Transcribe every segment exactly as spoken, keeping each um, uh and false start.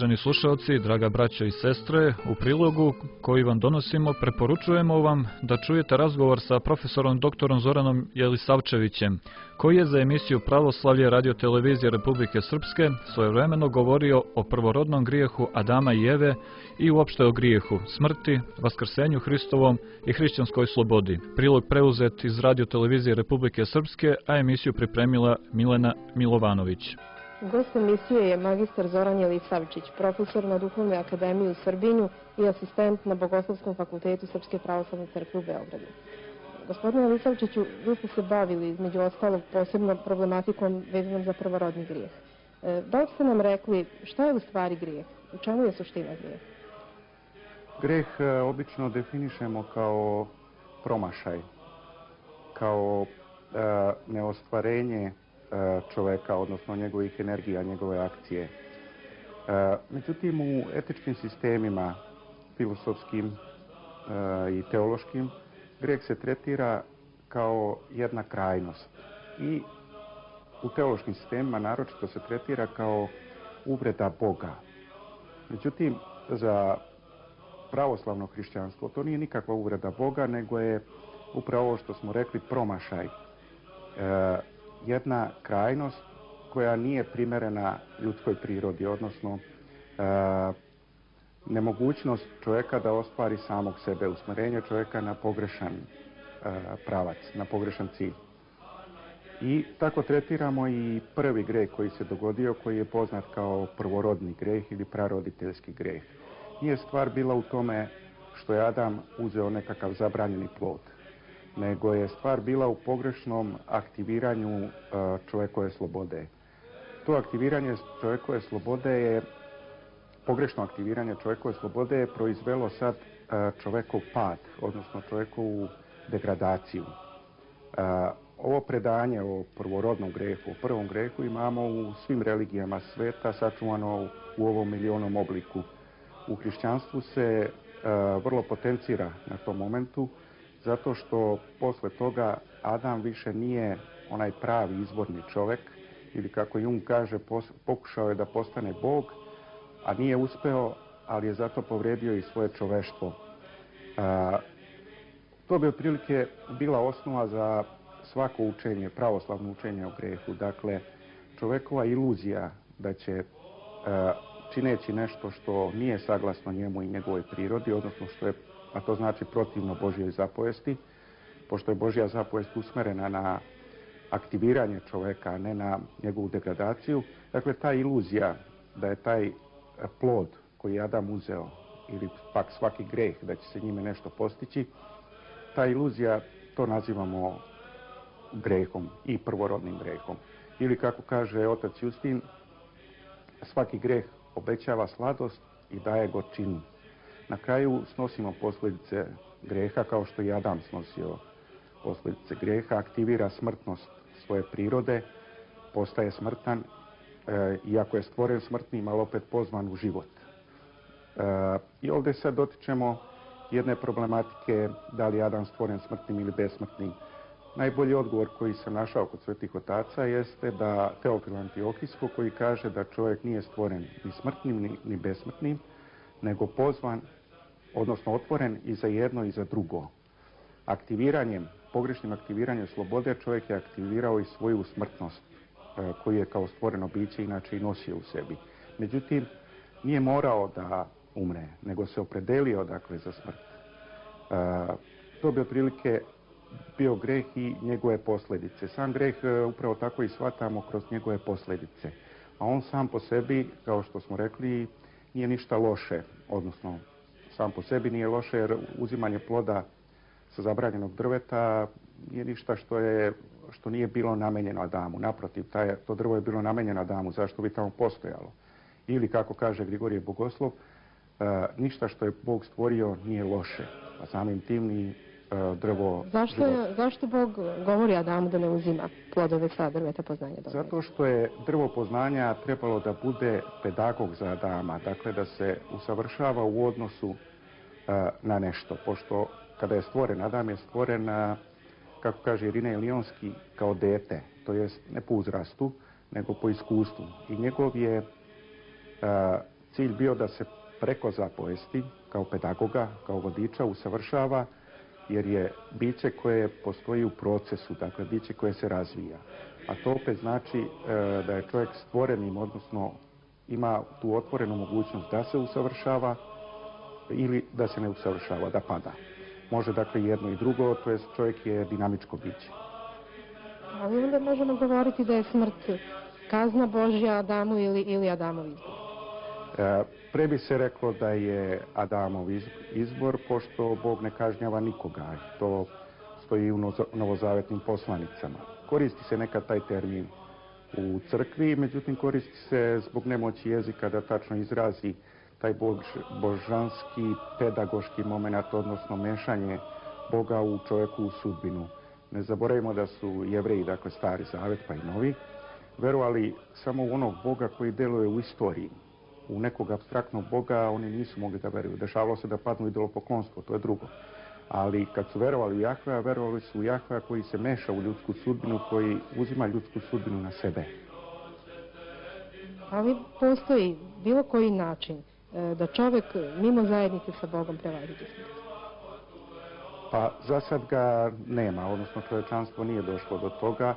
uvaženi slušalci, draga braćo i sestre, u prilogu koji vam donosimo preporučujemo vam da čujete razgovor sa profesorom doktorom Zoranom Jelisavčevićem, koji je za emisiju Pravoslavlje radiotelevizije Republike Srpske svojevremeno govorio o prvorodnom grijehu Adama i Eve i uopšte o grijehu, smrti, vaskrsenju Hristovom i hrišćanskoj slobodi. Prilog preuzet iz radiotelevizije Republike Srpske, a emisiju pripremila Milena Milovanović. Gost emisije je magistar Zoran Jelisavčić, profesor na Duhovnoj akademiji u Srbinju i asistent na Bogoslovskom fakultetu Srpske pravoslavne crkve u Beogradu. Gospodine Jelisavčiću, vi ste se bavili između ostalog posebno problematikom vezanom za prvorodni grijeh. Da li ste nam rekli šta je u stvari grijeh? U čemu je suština grijeha? Grijeh obično definišemo kao promašaj, kao e, neostvarenje čoveka, odnosno njegovih energija, njegove akcije. Međutim, u etičkim sistemima, filosofskim i teološkim, grijeh se tretira kao jedna krajnost. I u teološkim sistemima naročito se tretira kao uvreda Boga. Međutim, za pravoslavno hrišćanstvo to nije nikakva uvreda Boga, nego je upravo ovo što smo rekli promašaj. Jedna krajnost koja nije primerena ljudskoj prirodi, odnosno e, nemogućnost čovjeka da ostvari samog sebe, usmjerenje čovjeka na pogrešan e, pravac, na pogrešan cilj. I tako tretiramo i prvi grijeh koji se dogodio, koji je poznat kao prvorodni grijeh ili praroditeljski grijeh. Nije stvar bila u tome što je Adam uzeo nekakav zabranjeni plod, nego je stvar bila u pogrešnom aktiviranju čovjekove slobode. To aktiviranje čovjekove slobode je, pogrešno aktiviranje čovjekove slobode je proizvelo sad čovjekov pad, odnosno čovjekovu degradaciju. Ovo predanje o prvorodnom grehu, o prvom grehu imamo u svim religijama sveta, sačuvano u ovom milionom obliku. U hrišćanstvu se vrlo potencira na tom momentu, zato što posle toga Adam više nije onaj pravi izvorni čovjek, ili kako Jung kaže, pokušao je da postane Bog, a nije uspeo, ali je zato povredio i svoje čoveštvo. A, to bi otprilike bila osnova za svako učenje, pravoslavno učenje o grehu. Dakle, čovjekova iluzija da će, a, čineći nešto što nije saglasno njemu i njegovoj prirodi, odnosno što je, a to znači protivno Božjoj zapovesti, pošto je Božja zapovest usmerena na aktiviranje čovjeka, a ne na njegovu degradaciju. Dakle, ta iluzija da je taj plod koji je Adam uzeo, ili pak svaki greh, da će se njime nešto postići, ta iluzija, to nazivamo grehom i prvorodnim grehom. Ili kako kaže otac Justin, svaki greh obećava sladost i daje gorčinu. Na kraju snosimo posljedice greha, kao što i Adam snosio posljedice greha, aktivira smrtnost svoje prirode, postaje smrtan, e, iako je stvoren smrtnim, ali opet pozvan u život. E, I ovdje sad dotičemo jedne problematike, da li je Adam stvoren smrtnim ili besmrtnim. Najbolji odgovor koji sam našao kod svetih otaca jeste da Teofil Antiohijsko, koji kaže da čovjek nije stvoren ni smrtnim ni, ni besmrtnim, nego pozvan, odnosno otvoren i za jedno i za drugo. Aktiviranjem, pogrešnim aktiviranjem slobode čovjek je aktivirao i svoju smrtnost, e, koju je kao stvoreno biće inače i nosio u sebi. Međutim, nije morao da umre, nego se opredelio dakle za smrt. E, to bi otprilike bio greh i njegove posljedice. Sam greh e, upravo tako i shvatamo kroz njegove posljedice. A on sam po sebi, kao što smo rekli, nije ništa loše, odnosno sam po sebi nije loše, jer uzimanje ploda sa zabranjenog drveta nije ništa što, je, što nije bilo namenjeno Adamu. Naprotiv, taj, to drvo je bilo namenjeno Adamu, zašto bi tamo postojalo. Ili, kako kaže Grigorije Bogoslov, e, ništa što je Bog stvorio nije loše, a samim tim ni e, drvo zašto, je, zašto Bog govori Adamu da ne uzima plodove sa drveta poznanja dobra? Zato što je drvo poznanja trebalo da bude pedagog za Adama, dakle da se usavršava u odnosu e, na nešto, pošto kada je stvoren, Adam je stvoren, a, kako kaže Irinej Lionski, kao dete, to jest ne po uzrastu, nego po iskustvu. I njegov je a, cilj bio da se preko zapovesti, kao pedagoga, kao vodiča, usavršava, jer je biće koje postoji u procesu, dakle biće koje se razvija. A to opet znači e, da je čovjek stvorenim, odnosno ima tu otvorenu mogućnost da se usavršava ili da se ne usavršava, da pada. Može dakle jedno i drugo, to jest čovjek je dinamičko biće. Ali onda možemo govoriti da je smrt kazna Božja Adamu ili, ili Adamov izbor. E, pre bi se reklo da je Adamov izbor, pošto Bog ne kažnjava nikoga. To stoji u novozavetnim poslanicama. Koristi se nekad taj termin u crkvi, međutim koristi se zbog nemoći jezika da tačno izrazi taj bož, božanski, pedagoški moment, odnosno mešanje Boga u čovjeku u sudbinu. Ne zaboravimo da su Jevreji, dakle Stari Zavet pa i Novi, verovali samo u onog Boga koji deluje u istoriji. U nekog apstraktnog Boga oni nisu mogli da veruju. Dešavalo se da padnu idolopoklonstvo, to je drugo. Ali kad su verovali u Jahvea, verovali su u Jahvea koji se meša u ljudsku sudbinu, koji uzima ljudsku sudbinu na sebe. Ali postoji bilo koji način da čovjek mimo zajednice sa Bogom prevaziđe smrt? Pa za sad ga nema, odnosno čovječanstvo nije došlo do toga,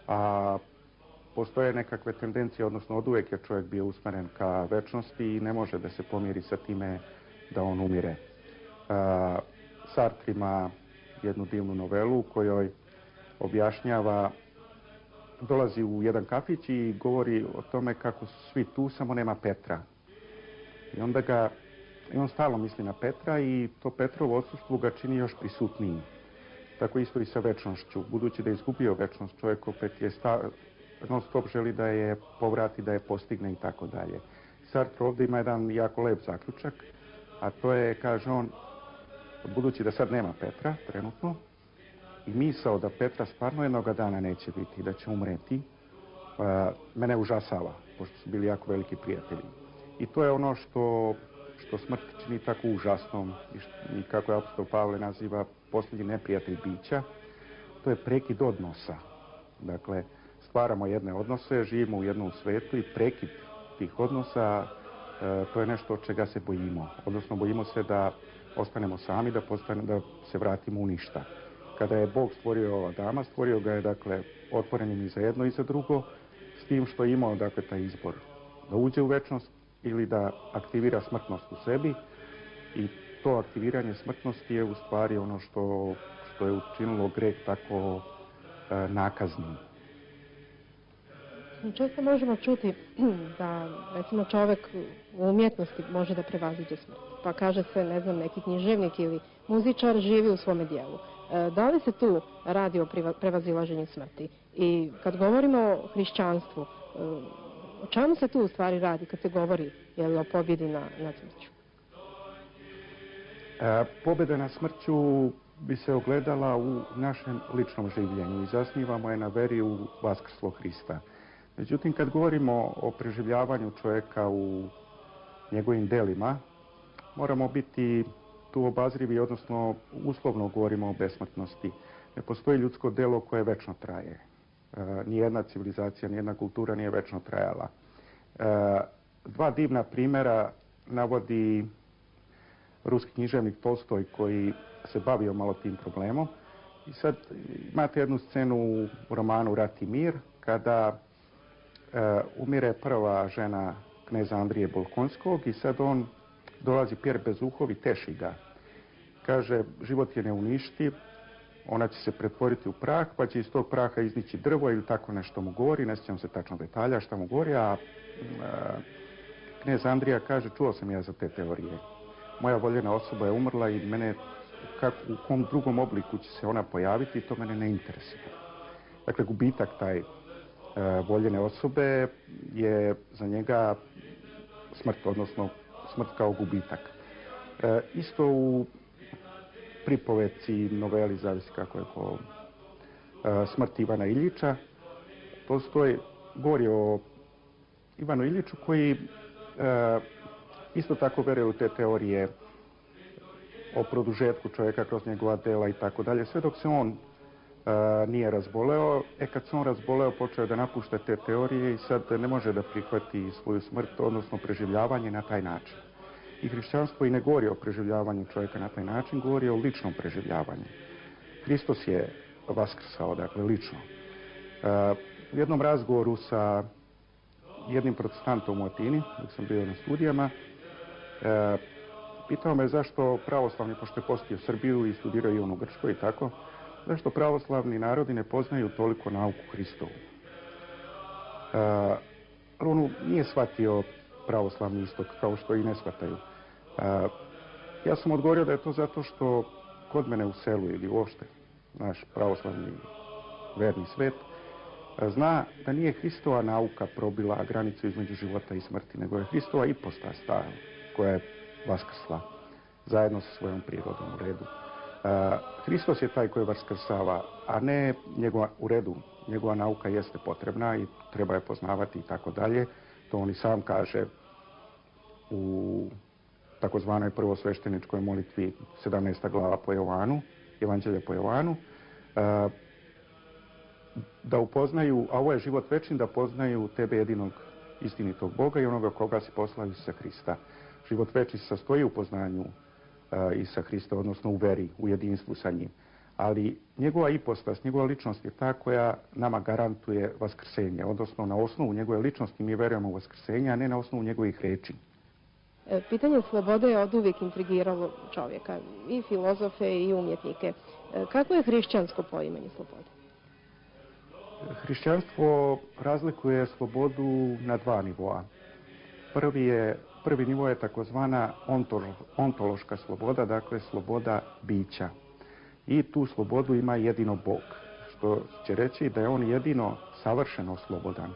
a postoje nekakve tendencije, odnosno od uvijek je čovjek bio usmeren ka večnosti i ne može da se pomiri sa time da on umire. Sartre ima jednu divnu novelu u kojoj objašnjava, dolazi u jedan kafić i govori o tome kako su svi tu, samo nema Petra. I onda ga, i on stalno misli na Petra i to Petrovo odsustvo ga čini još prisutnijim. Tako isto i sa večnošću. Budući da je izgubio večnost, čovjek opet je sta, non stop želi da je povrati, da je postigne i tako dalje. Sartre ovdje ima jedan jako lep zaključak, a to je, kaže on, budući da sad nema Petra, trenutno, i misao da Petra stvarno jednoga dana neće biti, da će umreti, mene užasava, pošto su bili jako veliki prijatelji. I to je ono što, što smrt čini tako užasnom i, što, i kako je apostol Pavle naziva posljednji neprijatelj bića, to je prekid odnosa. Dakle, stvaramo jedne odnose, živimo u jednom svetu i prekid tih odnosa, e, to je nešto od čega se bojimo. Odnosno, bojimo se da ostanemo sami, da, postane, da se vratimo u ništa. Kada je Bog stvorio Adama, stvorio ga je, dakle, otvorenim i za jedno i za drugo, s tim što je imao, dakle, taj izbor da uđe u večnost ili da aktivira smrtnost u sebi, i to aktiviranje smrtnosti je u stvari ono što, što je učinilo greh tako e, nakaznim. Često možemo čuti da, recimo, čovjek u umjetnosti može da prevaziđe smrt. Pa kaže se, ne znam, neki književnik ili muzičar živi u svome dijelu. E, da li se tu radi o prevazilaženju smrti? I kad govorimo o hrišćanstvu, e, o čemu se tu u stvari radi kad se govori, je li, o pobjedi na, nad smrću? E, pobjeda nad smrću bi se ogledala u našem ličnom življenju i zasnivamo je na veri u vaskrslo Hrista. Međutim, kad govorimo o preživljavanju čovjeka u njegovim delima, moramo biti tu obazrivi, odnosno uslovno govorimo o besmrtnosti. Ne postoji ljudsko delo koje večno traje. E, nijedna civilizacija, nijedna kultura nije večno trajala. E, dva divna primjera navodi ruski književnik Tolstoj koji se bavio malo tim problemom. I sad imate jednu scenu u romanu Rat i mir, kada e, umire prva žena kneza Andrije Bolkonskog i sad on dolazi Pjer Bezuhov i teši ga. Kaže, život je neuništiv, ona će se pretvoriti u prah, pa će iz tog praha iznići drvo ili tako nešto mu govori, ne sjećam se tačno detalja šta mu govori, a e, knez Andrija kaže, čuo sam ja za te teorije. Moja voljena osoba je umrla i mene, kak, u kom drugom obliku će se ona pojaviti, to mene ne interesuje. Dakle, gubitak taj e, voljene osobe je za njega smrt, odnosno smrt kao gubitak. E, isto u pripoveci, noveli, zavisi kako je ko, e, smrt Ivana Iljiča, Tolstoj govori o Ivanu Iljiču koji e, isto tako veruje u te teorije o produžetku čovjeka kroz njegova dela i tako dalje, sve dok se on nije razboleo. E kad se on razboleo, počeo je da napušta te teorije i sad ne može da prihvati svoju smrt, odnosno preživljavanje na taj način. I hrišćanstvo i ne govori o preživljavanju čovjeka na taj način, govori o ličnom preživljavanju. Hristos je vaskrsao, dakle, lično. U jednom razgovoru sa jednim protestantom u Atini, dok sam bio na studijama, pitao me zašto pravoslavni, pošto je postio Srbiju i studirao i on u Grčkoj i tako, zašto pravoslavni narodi ne poznaju toliko nauku Hristovu. On nije shvatio pravoslavni istok, kao što i ne shvataju. Ja sam odgovorio da je to zato što kod mene u selu ili uopšte naš pravoslavni verni svet zna da nije Hristova nauka probila granicu između života i smrti, nego je Hristova ipostas ta koja je vaskrsla zajedno sa svojom prirodom u redu. Hristos je taj koji vaskrsava, a ne njegova, u redu, njegova nauka jeste potrebna i treba je poznavati i tako dalje. To on i sam kaže u takozvanoj prvosvešteničkoj molitvi sedamnaesta glava po Jovanu, Evanđelje po Jovanu, da upoznaju, a ovo je život večni, da poznaju tebe jedinog istinitog Boga i onoga koga si poslao Isusa Hrista. Život večni se sastoji u poznanju Isusa Hrista, odnosno u veri, u jedinstvu sa njim. Ali njegova ipostas, njegova ličnost je ta koja nama garantuje vaskrsenje, odnosno na osnovu njegove ličnosti mi verujemo u vaskrsenje, a ne na osnovu njegovih reči. Pitanje slobode je oduvijek intrigiralo čovjeka, i filozofe i umjetnike. Kako je hrišćansko poimanje slobode? Hrišćanstvo razlikuje slobodu na dva nivoa. Prvi, je, prvi nivo je takozvana ontološka sloboda, dakle sloboda bića. I tu slobodu ima jedino Bog, što će reći da je on jedino savršeno slobodan.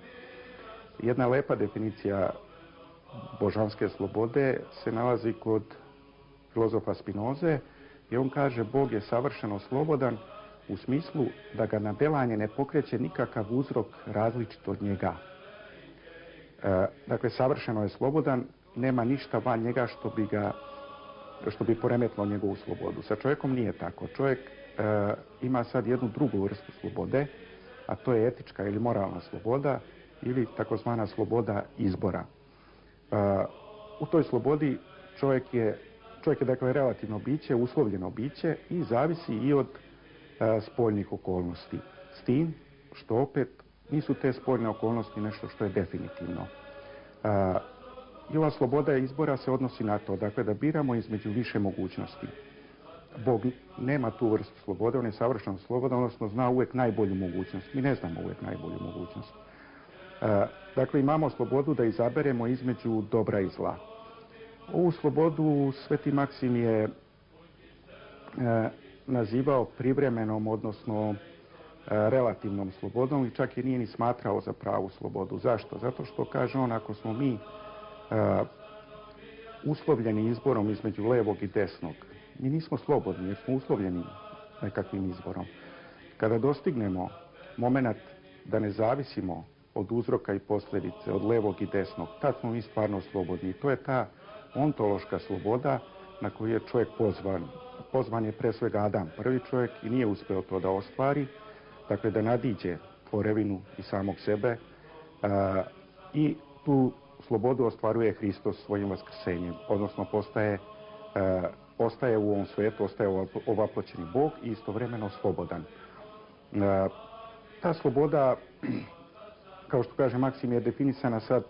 Jedna lepa definicija božanske slobode se nalazi kod filozofa Spinoze i on kaže Bog je savršeno slobodan u smislu da ga na delanje ne pokreće nikakav uzrok različit od njega. E, dakle, savršeno je slobodan, nema ništa van njega što bi ga što bi poremetilo njegovu slobodu. Sa čovjekom nije tako. Čovjek e, ima sad jednu drugu vrstu slobode, a to je etička ili moralna sloboda ili takozvana sloboda izbora. E, u toj slobodi čovjek je, čovjek je dakle relativno biće, uslovljeno biće i zavisi i od e, spoljnih okolnosti. S tim što opet nisu te spoljne okolnosti nešto što je definitivno. E, I ova sloboda izbora se odnosi na to, dakle, da biramo između više mogućnosti. Bog nema tu vrstu slobode, on je savršeno slobodan, odnosno zna uvijek najbolju mogućnost. Mi ne znamo uvijek najbolju mogućnost. E, dakle, imamo slobodu da izaberemo između dobra i zla. Ovu slobodu Sveti Maksim je e, nazivao privremenom, odnosno e, relativnom slobodom i čak je nije ni smatrao za pravu slobodu. Zašto? Zato što, kaže on, ako smo mi Uh, uslovljeni izborom između levog i desnog. Mi nismo slobodni jer smo uslovljeni nekakvim izborom. Kada dostignemo moment da ne zavisimo od uzroka i posljedice, od levog i desnog, tad smo mi stvarno slobodni. I to je ta ontološka sloboda na koju je čovjek pozvan. Pozvan je pre svega Adam, prvi čovjek, i nije uspeo to da ostvari, dakle da nadiđe tvorevinu i samog sebe uh, i tu slobodu ostvaruje Hristos svojim vaskrsenjem, odnosno postaje, e, ostaje u ovom svijetu, ostaje ovaploćeni Bog i istovremeno slobodan. E, ta sloboda, kao što kaže Maksim, je definisana sad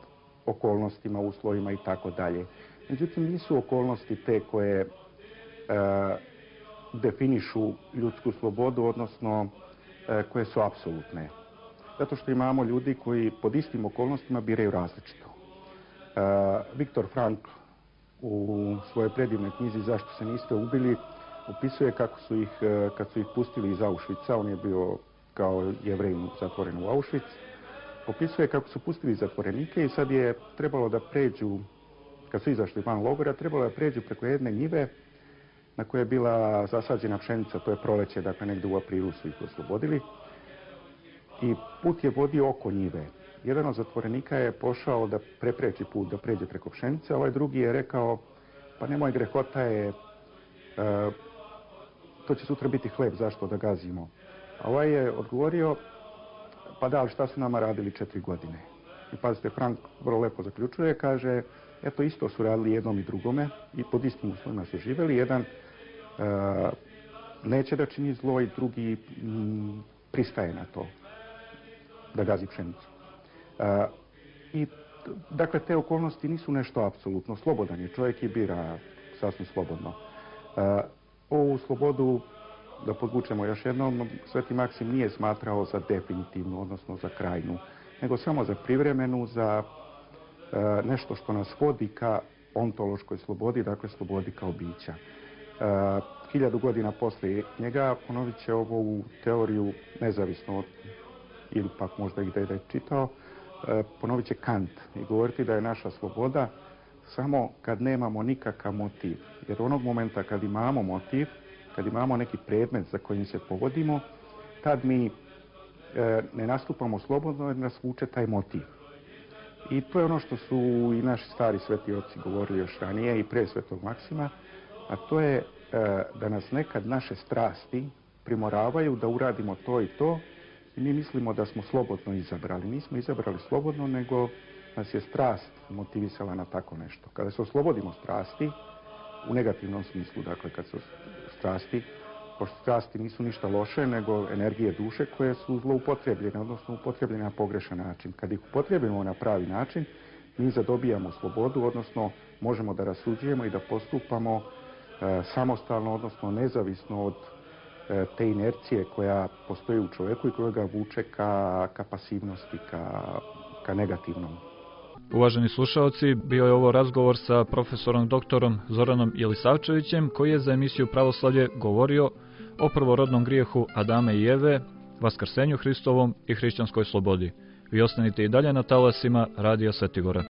okolnostima, uslovima i tako dalje. Međutim, nisu okolnosti te koje e, definišu ljudsku slobodu, odnosno e, koje su apsolutne. Zato što imamo ljudi koji pod istim okolnostima biraju različito. Uh, Viktor Frankl u svojoj predivnoj knjizi Zašto se niste ubili opisuje kako su ih, uh, kad su ih pustili iz Auschwitza, on je bio kao Jevrejin zatvoren u Auschwitz, opisuje kako su pustili zatvorenike i sad je trebalo da pređu, kad su izašli van logora, trebalo da pređu preko jedne njive na kojoj je bila zasađena pšenica, to je proleće, dakle negdje u aprilu su ih oslobodili, i put je vodio oko njive. Jedan od zatvorenika je pošao da prepreči put, da pređe preko pšenice, a ovaj drugi je rekao, pa nemoj, grehota je, e, to će sutra biti hleb, zašto da gazimo A ovaj je odgovorio, pa da, ali šta su nama radili četiri godine? I pazite, Frank vrlo lepo zaključuje, kaže, eto isto su radili jednom i drugome i pod istim uslovima su živjeli. Jedan uh, neće da čini zlo i drugi m, pristaje na to da gazi pšenicu. Uh, I dakle, te okolnosti nisu nešto apsolutno. Slobodan je čovjek i bira sasvim slobodno. Uh, ovu slobodu, da podvučemo još jednom, Sveti Maksim nije smatrao za definitivnu, odnosno za krajnu, nego samo za privremenu, za e, nešto što nas vodi ka ontološkoj slobodi, dakle slobodi kao bića. E, hiljadu godina poslije njega ponovit će ovu teoriju nezavisno od, ili pak možda i da je čitao, e, ponovit će Kant i govoriti da je naša sloboda samo kad nemamo nikakav motiv. Jer onog momenta kad imamo motiv, kad imamo neki predmet za kojim se povodimo, tad mi e, ne nastupamo slobodno jer nas vuče taj motiv. I to je ono što su i naši stari sveti oci govorili još ranije i pre Svetog Maksima, a to je e, da nas nekad naše strasti primoravaju da uradimo to i to i mi mislimo da smo slobodno izabrali. Nismo izabrali slobodno, nego nas je strast motivisala na tako nešto. Kada se oslobodimo strasti, u negativnom smislu, dakle, kad se strasti, pošto strasti nisu ništa loše, nego energije duše koje su zloupotrebljene, odnosno upotrebljene na pogrešan način. Kad ih upotrebimo na pravi način, mi zadobijamo slobodu, odnosno možemo da rasuđujemo i da postupamo e, samostalno, odnosno nezavisno od e, te inercije koja postoji u čovjeku i koja ga vuče ka, ka pasivnosti, ka, ka negativnom. Uvaženi slušaoci, bio je ovo razgovor sa profesorom doktorom Zoranom Jelisavčevićem, koji je za emisiju Pravoslavlje govorio o prvorodnom grijehu Adama i Eve, Vaskrsenju Hristovom i hrišćanskoj slobodi. Vi ostanite i dalje na talasima Radija Svetigora.